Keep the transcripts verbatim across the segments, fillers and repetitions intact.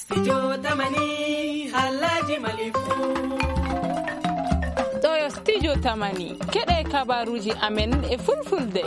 Studio Tamani, haalaaji Mali fuu. Ɗoo yo Studio Tamani, keɗee kabaaruuji amen e Fulfulde.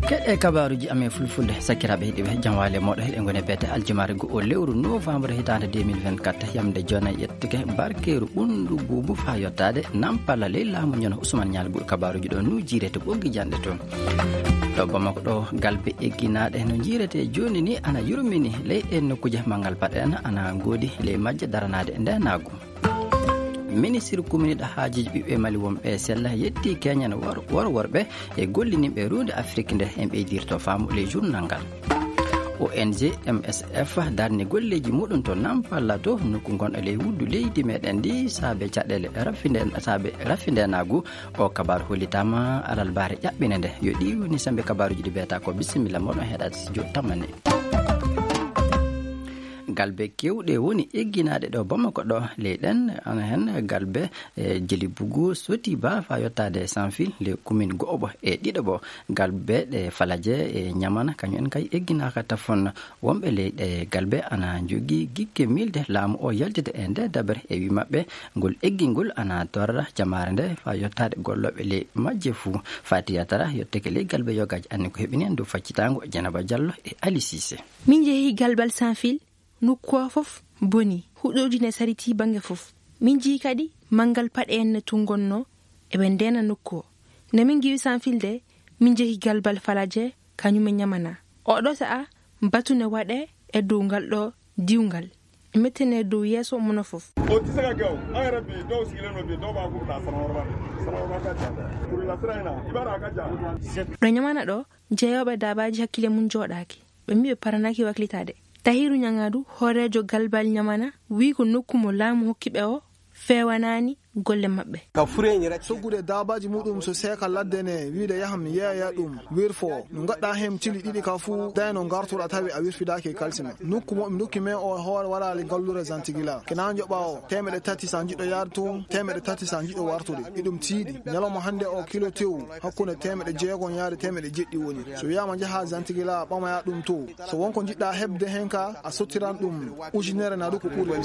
Keɗee kabaaruuji amen e Fulfulde, sakiraaɓe heɗiiɓe, jam waali e mooɗon. Eɗen ngoni e beete aljumaare goo oo lewru novembre hitaande deux mille vingt-quatre, yamnde jooni yettike barkeeru ɓunndu buubu faa yottaade nampalla ley laamu ñono Usman Ñaal Gul. Kabaaruuji ɗoo no jiiree to ɓoggi janɗe too. Ɗo Bamako ɗoo, galbe egginaaɗe no jiiretee jooni nii ana yurmini ley ɗee nokkuuje. Manngal paɗe en ana ngoodi ley majje daranaade ndeenaagu. Ministir kuminiiɗo haajuuji ɓiɓɓe Mali wonɓe e sella yettii keñen wor-, wor-, worɓe e gollininɓe ruunde Afrik nde en ɓeydirto faamu ley journal ngal. O N G M S F darni golleeji muuɗum to Nampala to nokku ngonɗo ley wuddu leydi meɗen ndi saabe caɗeele rafinde-, saabe rafindeenaagu. O kabaaru hollitaama alarbaare ƴaɓɓinde nde. Yo ɗii woni sembe kabaaruuji ɗi mbiyata ko. Bisimilla mooɗon heɗaade studio Tamani. Galbe keewɗe woni egginaaɗe ɗo Bamako ɗo. Ley ɗen ana hen galbe e Jelibugu, Sotiba, faa yottaade Sanfil, ley kumin go'oɓo e ɗiɗoɓo. Galbe ɗe Falaje e Ñamana, kañum en kay egginaaka tafon. Wonɓe ley ɗee galbe ana njogii gikke miilde laamu oo yaltida e ndee dabere. E wii maɓɓe, ngol eggingol ana torra jamaare nde faa yottaade gollooɓe ley majje fuu. Fati Yatara yottike ley galbe yogaaji, anni ko heɓini en dow faccitaango. Jenaba Jallo e Ali Siise. Min njehii galbal Sanfil, nokku oo fof bonii, huɗooji ne saritii bannge fof. Min njii kadi manngal paɗe en no tunngonnoo, eɓe ndeena nokku oo. Nde min ngiwi Sanfil de, min njehi galbal Falaje, kañum e Ñamana. Oɗo sa'a, batu ne waɗee e dow ngal ɗoo diwngal. E mettenee dow yeeso mono fof. O tɛ se ka kɛ o. An yɛrɛ bi, dɔw sigilen don bi, dɔw b'a fɔ ka taa Sanawɔrɔba de. Sanawɔrɔba ka jan dɛ. Kurula sira in na, i b'a dɔn a ka jan. Ɗo Ñamana ɗo, jeeyooɓe daabaaji hakkille mum jooɗaaki. Ɓe mbii ɓe paranaaki waklitaade. Tahiru Ñaŋadu, hooreejo galbal Ñamana, wii ko nokku mo laamu hokki ɓe o feewanaani golle maɓɓe. Soggude daabaaji muɗum so seeka ladde ne, wiide yaham yeeya ɗum, wirfo. No ngaɗɗaa heen cili ɗiɗi ka fuu, dayno ngartuɗaa tawi a wirfidaaki e kalsi ma. Nokku mo ɓe ndokki men o hoore waraali ngalluure Zantigila. Kena njoɓaa o teemeɗe tati so a njiɗɗo yaade toon, teemeɗe tati so a njiɗɗo wartude. Eɗum tiiɗi. Ñalawma hannde o kilo tew hakkunde teemeɗe jeegom yaade teemeɗe jeɗɗi woni. So wiyaama njahaa Zantigila ɓamoyaa ɗum to. So won ko njiɗɗaa heɓde heen ka, a sottiran ɗum ujunere naa ɗum ko ɓuri.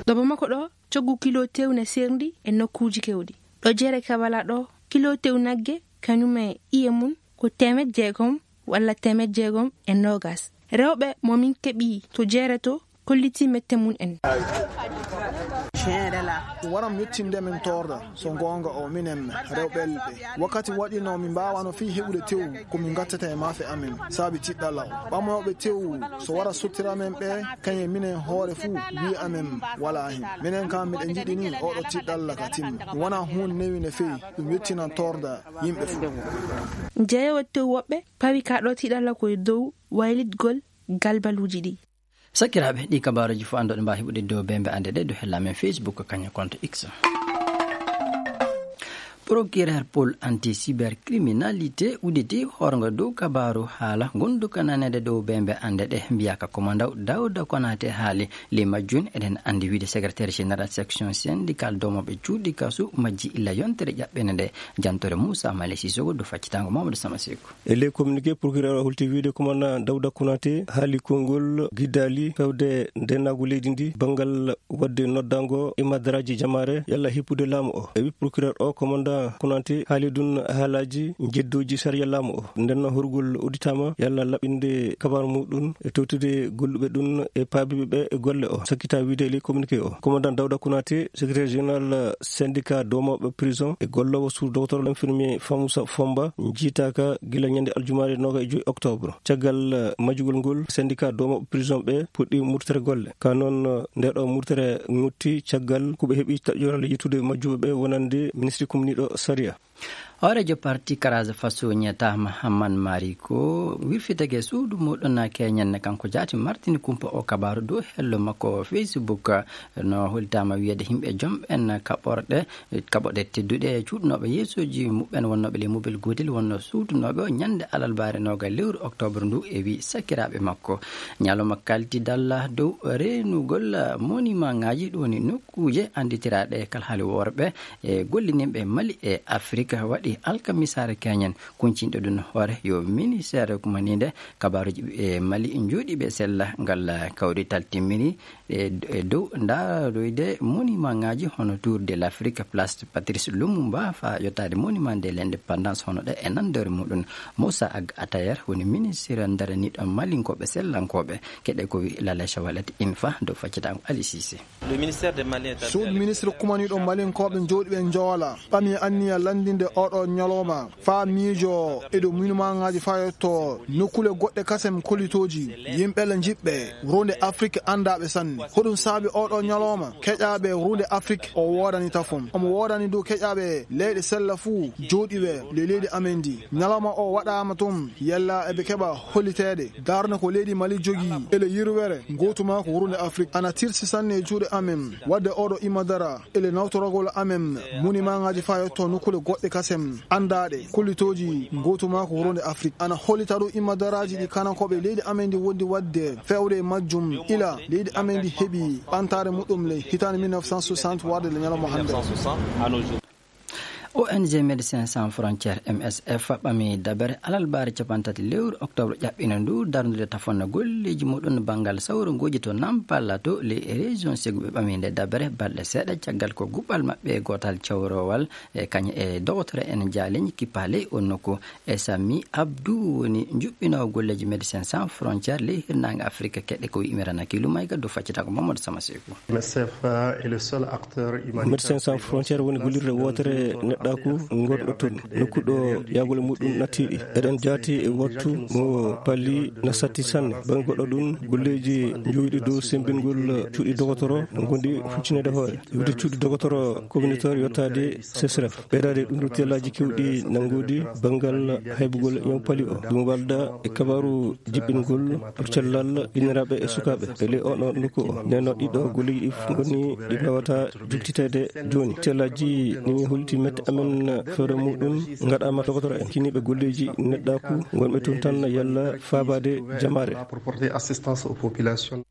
Ɗo Bamako ɗo, coggu kilo tew ne seerndi e nokkuuji keewɗi. Ɗo Jeere Kabala ɗo, kilo tew nagge, kañum e ƴiye mum, ko teemeɗɗe jeegom walla teemeɗɗe jeegom e noogas. Rewɓe mo min keɓi to Jeere to, kollitii mette mum en. Waram yettinde min toorda, so goonga o, minen rewɓe ɓe. Wakkati waɗi no min mbaawano fii heɓude tew, ko min ngattata e maafe amen, saabi tiɗɗalla o. Ɓamooɓe tew, so wara sottira men ɓe, kañe minen hoore fuu, wii amen walaa hen. Minen kam, miɗen njiɗi ni oɗo tiɗɗalla ka timma. Ɗum wonaa huunde newi no fewi, ɗum yettinan toorda yimɓe fuu. Jeeyoowo tew woɓɓe pawi ka ɗo tiɗɗalla ko e dow waylitgol galbaluuji ɗi. Sakiraaɓe, ɗii kabaaruuji fof anndoɗen mbaawa heɓude dow bembe annde ɗe dow hella men Facebook kañum konto X. Procureur Pôle anti-cybercriminalité udditi hoorngo dow kabaaru haala ngonduka naneede dow bembe annde ɗe mbiyaaka Commandant Dawda Konaté haali. Ley majjum eɗen anndi wiide secrétaire général section syndicale doomooɓe cuuɗi kasu majji illa yontere ƴaɓɓende nde. Jantoore Moussa Mali Sissoko dow faccitaango Mamadou Sama Seku. E ley communiqué, procureur o holti wiide commandant Dawda Konaté haali konngol giddaali fewde ndeenaagu leydi ndi banngal waɗde noddaango e madaraaji jamaare yalla hippude laamu o. E wi procureur o, commandant Konaté haali ɗum haalaaji njeddooji sariya laamu o. Nden no horgol udditaama yalla laɓɓinde kabaaru muɗum e towtude golluɓe ɗum e paabiiɓe ɓe e golle o. Sakkita wiide e ley communiqué o, commandant Dawda Konaté, secrétaire général syndicat doomooɓe prison e golloowo sous-docteur infirmier Famoussa Fomba, njiitaaka gila ñande aljumaare noogay e joy octobre. Caggal, eh, majjugol ngol, syndicat doomooɓe prison ɓe puɗɗi murtere golle. Ka noon, eh, nde ɗo murtere ŋutti caggal ko ɓe heɓi taƴoral yettude majjuɓe ɓe wonande ministre kumniiɗo sariya. Hooreejo parti Karaza Faso ñeetaama Hamman Mari ko wirfitagee suudu muuɗum keñen. Kanko jaati martini kumpa o kabaaru dow hello makko Facebook. No hollitaama wiyeede yimɓe jom en kaɓorɗe, kaɓorɗe tedduɗe cuuɗnooɓe yeesooji muɓɓen wonnooɓe ley mobel gootel wonnoo suutunooɓe o ñannde alarbaare nooga lewru oktoobar ndu e wii sakiraaɓe makko. Ñalawma kaltidal dow reenugol monimaŋaaji ɗum woni nokkuuje annditiraaɗe kalhaali worɓe e gollininɓe Mali e Afrik waɗi Alkamisaare keñen kuncinɗo ɗum hoore yo ministeer kumaniinde kabaaruuji ɓiɓɓe Mali njooɗiiɓe sella ngal kawrital timmini e, e dow ndaaroyde monimaŋaaji hono Tour de l'Afrique, Place Patrice Lumumba, faa yottaade Monument de l'Indépendance, hono ɗe e nanndore muɗum. Moussa Ag Atayer woni ministeer daraniiɗo Malinkooɓe sellankooɓe. Keɗe ko wi Lale Chawalet Infa dow faccitaango Ali Cissé. Suudu ministre kumaniiɗo Malinkooɓe jooɗiiɓe Njoola ɓami anniya lanndinde ooɗoo ñalooma faa miijoo e dow minimaŋaaji faa yotto nokkuule goɗɗe kasen kollitooji yimɓe le njiɓɓe ruunde Afrik anndaaɓe sanne. Hoɗum saabi ooɗoo ñalooma keƴaaɓe ruunde Afrik o woodani tafon. Omo woodani dow keƴaaɓe leyɗe sella fuu jooɗiiɓe ley leydi amen ndi. Ñalooma o waɗaama tun yalla eɓe keɓa holliteede. Darnde ko leydi Mali jogii ele yirwere ngootu maa ko wuurnde Afrik. Ana tirsi sanne e juuɗe amen waɗde ooɗo imma dara ele nawtoragol amen monimaŋaaji faa yotto nokkuule goɗɗe kasen anndaaɗe kollitooji ngootu maa ko wuurnde Afrik. Ana hollita ɗum imma daraaji ɗi kanankooɓe leydi amen ndi wondi waɗde feewde e majjum ila leydi amen ndi heɓi ɓantaare muɗum le hitaande mille neuf cent soixante warde le ñalawma hannde. O N G Médecins Sans Frontières, M S F, ɓami dabere alarbaare cappanɗe tati lewru oktoobar ƴaɓɓino ndu darnude tafanno golleeji muɗum banngal sawrongooji to Nampala to ley région Ségou. Ɓe ɓami nde dabere balɗe seeɗa caggal ko guɓɓal maɓɓe gootal cawroowal e kañum e dogotoro en jaaleeji kippa ley on nokku. E Sami Abdou woni njuɓɓinoowo golleeji Médecins Sans Frontières ley hirnaange Afrik. Keɗe ko wi Imran Akilu Mayga dow faccitaango Mamadou Sama Seeku. M S F est le seul acteur humanitaire. Médecins Sans Frontières woni gollirde wootere neɗɗaaku ngonɗo toon. Nokku ɗo yaagol muɗum nattiiɗi. Eɗen jaati e wattu mo palli na satti sanne. Bannge goɗɗo ɗum, golleeji njowiɗi dow semmbingol cuuɗi dogotoro no ngondi huccineede hoore. Iwde cuuɗi dogotoro communautaire yottaade C S R F. Ɓeydaade ɗum ɗo tellaaji keewɗi nanngude banngal haybugol ñaw pali o. Ɗum walda e kabaaru jiɓɓingol cellal inniraaɓe e sukaaɓe e ley oɗo nokku o. Nden no ɗiɗo golleeji ɗi fof ngoni ɗi mbaawataa juktiteede jooni. Tellaaji ɗi mi holliti mette amen feere muɗum ngaɗaama dogotoro en. Kiniiɓe golleeji neɗɗaaku ngonɓe toon tan yalla faabaade jamaare. Pour porter assistance aux populations.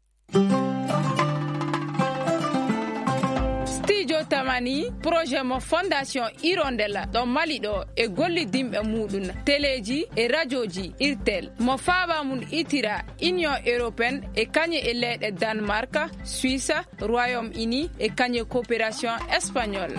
Studio Tamani, projet mo Fondation Hirondelle ɗo Mali ɗo e gollidinɓe muɗum, teleeji e rajooji Irtel, mo faaba mum itira Union Européenne e kañum e leyɗe Danemark, Suisse, Royaume-Uni e kañum e coopération espagnole.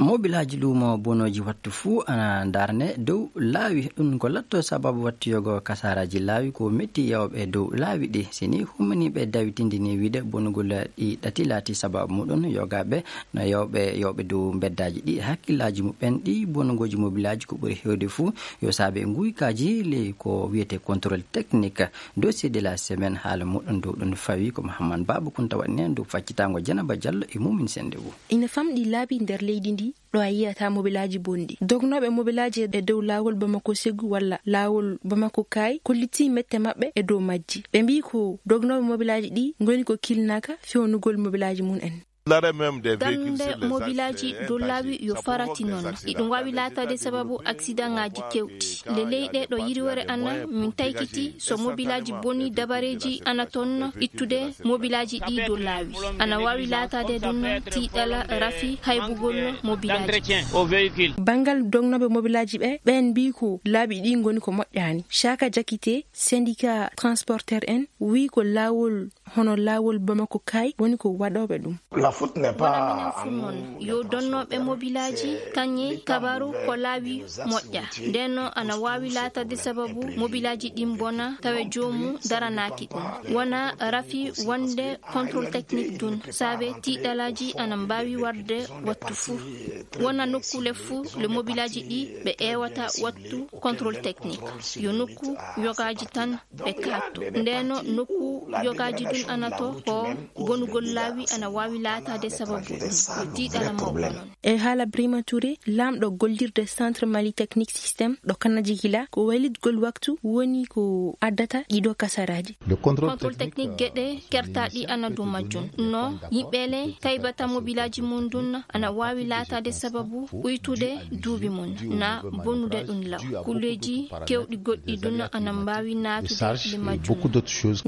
Mobilaaji luumo bonooji wattu fuu ana ndarne dow laawi. Ɗum ko latto sababu wattu yogo kasaaraaji laawi ko metti yawɓe dow laawi ɗi. Si ni hummaniiɓe dawitindini wiide bonugol ɗi ɗati laati sababu muɗum yogaaɓe no yawɓe, yawɓe dow mbeddaaji ɗi hakkillaaji muɓɓen ɗi bonugooji mobilaaji ko ɓuri heewde fuu yo saabe nguykaaji ley ko wiyetee contrôle technique. Dossier de la semaine haala muɗum dow ɗum fawi ko Mahamman Baaba Kunta waɗi nen dow faccitaango Janaba Jallo e Mumin Sennde Wu. Ina famɗi laabi nder leydi ndi ɗo a yiyata mobilaaji bonɗi. Dognooɓe mobilaaji e dow laawol Bamako Segu walla laawol Bamako Kaay kollitii mette maɓɓe e dow majji. Ɓe mbii ko dognooɓe mobilaaji ɗi ngoni ko kilnaaka fewnugol mobilaaji mum en. Darnde mobilaaji dow laawi yo farati noon. Iɗum waawi laataade sababu aksidaŋaaji keewɗi. Le leyɗe ɗo yirwere ana min taykiti so mobilaaji boni dabareeji ana toon ittude mobilaaji ɗi dow laawi. Ana waawi laataade ɗum tiiɗala rafi haybugol mobilaaji. Banngal dognooɓe mobilaaji ɓe, ɓeen mbii ko laabi ɗi ngoni ko moƴƴaani. Caaka Jakite, syndicat transporteur en, wii ko laawol hono laawol Bamako Kaay woni ko waɗooɓe ɗum. Wonaa minen fuu noon, yo donnooɓe mobilaaji kañe kabaaru ko laawi moƴƴa. Ndeen noon ana waawi laataade sababu mobilaaji ɗin bona tawe joomum daranaaki ɗum. Wonaa rafi wonde contrôle technique ɗum, saabe tiiɗalaaji ana mbaawi warde wattu fuu. Wonaa nokkuule fuu le mobilaaji ɗi ɓe ƴeewata wattu contrôle technique. Yo nokku yogaaji tan ɓe kaatto. Ndeen nokku yogaaji ɗum ana to ko bonugol laawi ana waawi laataade sababu ɗum. Yo tiiɗala mawɗo noon. E haala Brima Touré, laamɗo gollirde Centre Mali Technique Système ɗo Kanajigila, ko waylitgol waktu woni ko addata ɗiɗo kasaraaji. Contrôle technique geɗe kertaaɗi ana dow majjum. No yimɓe le taybata mobilaaji mum ɗum ana waawi laataade sababu uytude duuɓi mum, na bonude ɗum law. Kulleeji keewɗi goɗɗi ɗum ana mbaawi naatude le majjum.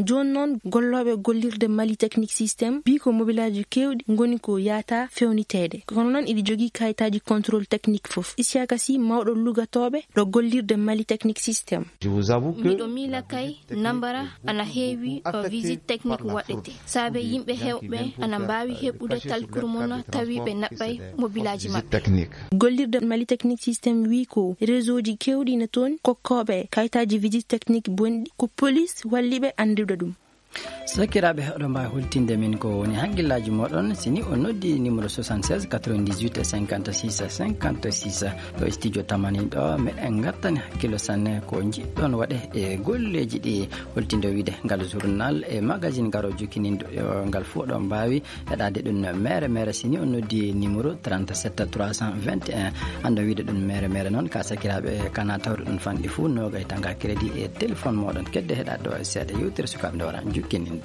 Jooni noon gollooɓe Gollirde Mali Technique System wii ko mobilaaji keewɗi ngoni ko yaataa feewniteede. Kono noon iɗi jogii kayitaaji contrôle technique fof. Isiyaaka Sih, mawɗo lugatooɓe ɗo gollirde Mali Technique System. Miɗo miila kay, nambara ana heewi, o visite technique waɗete. Saabe yimɓe heewɓe ana mbaawi heɓude talkuru mon tawi ɓe naɓɓay mobilaaji maɓɓe. Gollirde Mali Technique System wii ko réseauji keewɗi na toon kokkooɓe kayitaaji visite technique bonɗi, ko police walli ɓe anndude ɗum. Sakiraaɓe, oɗon mbaawi holtinde min ko woni hakkillaaji mooɗon si ni on noddi numéro soixante-seize quatre-vingt-dix-huit cinquante-six cinquante-six ɗo e studio Tamani ɗo. Meɗen ngattani hakkillo sanne ko njiɗɗon waɗe e golleeji ɗi, holtinde wiide ngal journal e magazine garo jokkinindo, eh, ngal fuu oɗon mbaawi heɗaade ɗum mere mere si ni on noddi numéro trente-sept trois cent vingt et un. Annda wiide ɗum mere mere noon ka sakiraaɓe kana tawde ɗum fanɗi fuu, noogay tanga crédit e téléphone mooɗon. Kedde heɗaade ɗo e seeɗa yewtere sukaaɓe nde wara jukkininde.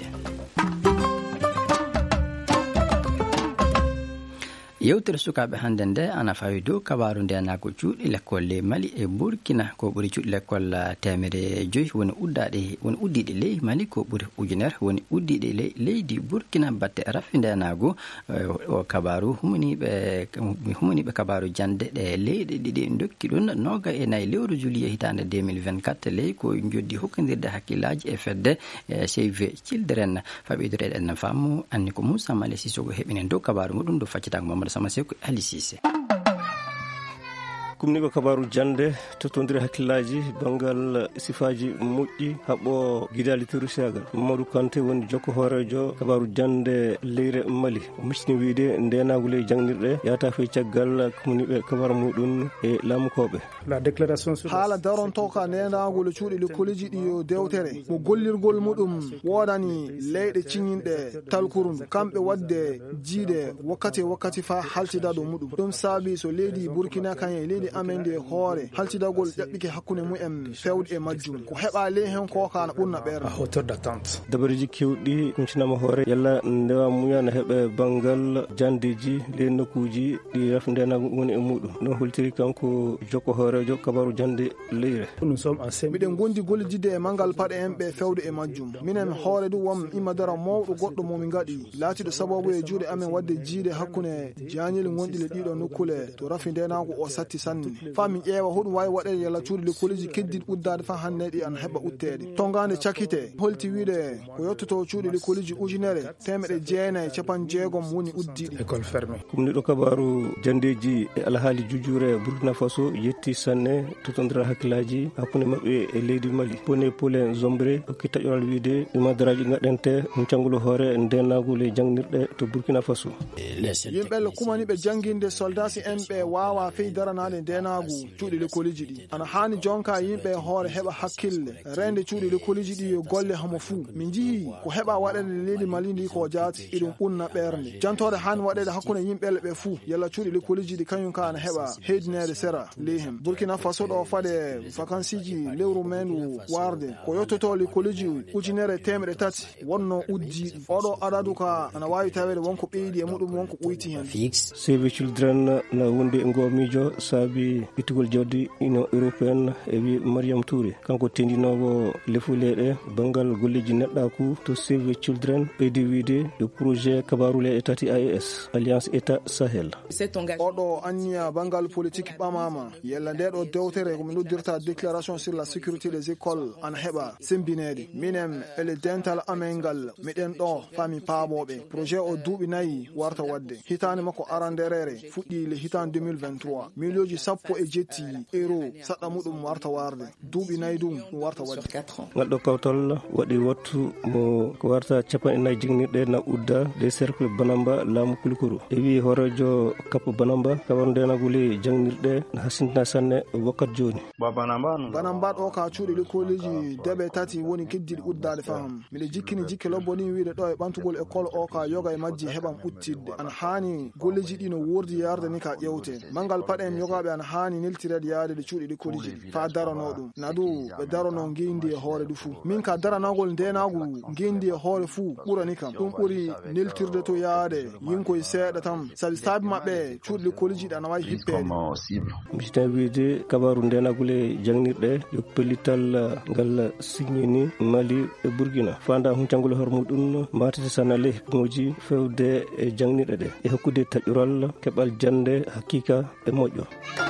Yewtere sukaaɓe hannde nde ana fawi dow kabaaru ndeenaagu cuuɗi lekkol ley Mali e Burkina. Ko ɓuri cuuɗi lekkol, ah, teemedde joy woni uddaaɗe, woni uddiiɗe ley Mali, ko ɓuri ujunere woni uddiiɗe ley leydi Burkina batte rafi ndeenaagu. Eh, o kabaaru humaniiɓe, humaniiɓe kabaaru jannde ɗe leyɗe ɗiɗi ndokki ɗum noogay e nayi lewru juillet hitaande deux mille vingt-quatre ley ko njoddi hokkondirde hakkillaaji e fedde, eh, Save Children. Faɓidoreɗen faamu anni ko Moussa Male Sissoko heɓinen dow kabaaru muɗum, dow faccitaango Mamadou Sama Seku e Ali Cissé. Kumniiɓe kabaaru jannde, tottondire hakkillaaji banngal sifaaji moƴƴi, haɓɓo gidaali terroristaagal. Mamadou Kanté woni jokko hooreejo kabaaru jannde leyre Mali. O miccini wiide ndeenaagu ley jaŋnirɗe yahata fey caggal kumniiɓe kabaaru muɗum e laamukooɓe. Haala darontooka ndeenaagol cuuɗi lekkoleeji ɗi yo dewtere mo gollirgol muɗum woodani leyɗe ciñinɗe talkuru ndu, kamɓe waɗde jiiɗe wakkati e wakkati faa haltida dow muɗum. Ɗum saabii so leydi Burkina kañum e leydi amen ndi e hoore, haltidagol ƴaɓɓike hakkunde mumen feewde e majjum. Ko heɓaa ley heen koo kaa na ɓurna ɓeerde. Dabareeji keewɗi kuntinaama hoore, yalla ndewa muya na heɓe banngal janndeeji ley nokkuuji ɗi rafi ndeenaagu woni e muɗum. No holtiri kanko jokko hooreejo kabaaru jannde leyre. Miɗen ngondi gollididde e manngal paɗe en ɓe feewde e majjum. Minen hoore du won imma dara mawɗo goɗɗo mo min ngaɗi, laatiiɗo sababu e juuɗe amen waɗde jiiɗe hakkunde jaañeli gonɗi le ɗiɗo nokkule to rafi ndeenaagu o satti sanne. Faa min ƴeewa hoɗum waawi waɗeede yalla cuuɗi lekkoleeji keddiiɗi uddaade faa hannde ɗi ana heɓa utteede. Tongaande cakkite holti wiide ko yottoto cuuɗi lekkoleeji ujunere teemedde jeenayi e capanɗe jeegom woni uddiiɗi. Kumniiɗo kabaaru janndeeji e alhaali jujjuure Burkina Faso yetti sanne totondira hakkillaaji hakkunde maɓɓe e leydi Mali. Pone Pole Zombre hokki taƴoral wiide ɗi madaraaji ngaɗante huncangol hoore ndeenaagu ley jaŋnirɗe to Burkina Faso. Yimɓe le kumaniiɓe jannginde soldaasi en ɓe waawaa fey daranaade ndeenaagu cuuɗi lekkoleeji ɗi. Ana haani jonka yimɓe e hoore heɓa hakkille, reende cuuɗi lekkoleeji ɗi yo golle homo fuu. Min njihii ko heɓa waɗeede leydi Mali ndi ko jaati, iɗum ɓunna ɓernde. Jantoore haani waɗeede hakkunde yimɓe le ɓe fuu, yalla cuuɗi lekkoleeji ɗi kañum ka ana heɓa heydineede sera ley hen. Burkina Faso ɗo faade vakansiiji lewru meendu waarde, ko yottoto lekkoleeji ujunere teemedde tati wonno uddiiɗi. Oɗo adadu ka ana waawi taweede wonko ɓeydi e muɗum, wonko ɓoyti hen. Save Children na wondi e ngoo miijo saabi ittugol jawdi Union Européenne e wiye Mariam Touré. Kanko tendinoowo lefu leyɗe banngal golleeji neɗɗaaku to Save Children ɓeydi wiide yo projet kabaaru leyɗe tati A E S, Alliance État Sahel. Oɗo anniya banngal politik ɓamaama. Yalla nde ɗo dewtere ko mi noddirta déclaration sur la sécurité des écoles ana heɓa sembineede. Minen e le dental amen ngal, miɗen ɗo faa mi paaboo ɓe. Projet o duuɓi nayi warta waɗde. Hitaande makko arandereere fuɗɗii le hitaande deux mille vingt-trois. Miliyooji sappo e jetti euro saɗɗa muɗum warta waarde. Duuɓi nayi ɗum ɗum warta waɗde. Ngal ɗo kawtal waɗi wattu mo ko warta capanɗe nayi jaŋnirɗe na udda des cercles Banamba laamu Kulikoro. E wiye hooreejo Kappa Banamba, kabaru ndeenagu ley jaŋnirɗe na hasintina sanne wakkati jooni. Banamba ɗo ka cuuɗi lekkoleeji deɓe tati woni keddiiɗi uddaade faham. Miɗo jikkini jikke lobbo ni wiide ɗo e ɓantugol école o ka yoga e majji heɓam uttidde. Ana haani golleeji ɗi no woordi yarde ni ka ƴewte. Manngal paɗe en yogaaɓe Ana haani neltireede yaade ɗo cuuɗi ɗi koliji ɗi faa daranoo ɗum. Na duu ɓe daranoo ngeenndi e hoore ɗi fuu. Min ka daranaagol ndeenaagu ngeenndi e hoore fuu ɓurani kam. Ɗum ɓuri neltirde to yaade yinkoy seeɗa tan. Sabi saabi maɓɓe cuuɗi ɗi koliji ɗi ana waawi hippeede. Misitan wiide kabaaru ndeenaagol e jaŋnirɗe yo pellital ngal siññini Mali e Burkina. Faandaa huncangol hoore muuɗum maatete sanale hikmooji fewde e jaŋnirɗe ɗe e hokkude taƴural keɓal jannde hakiika e moƴƴo.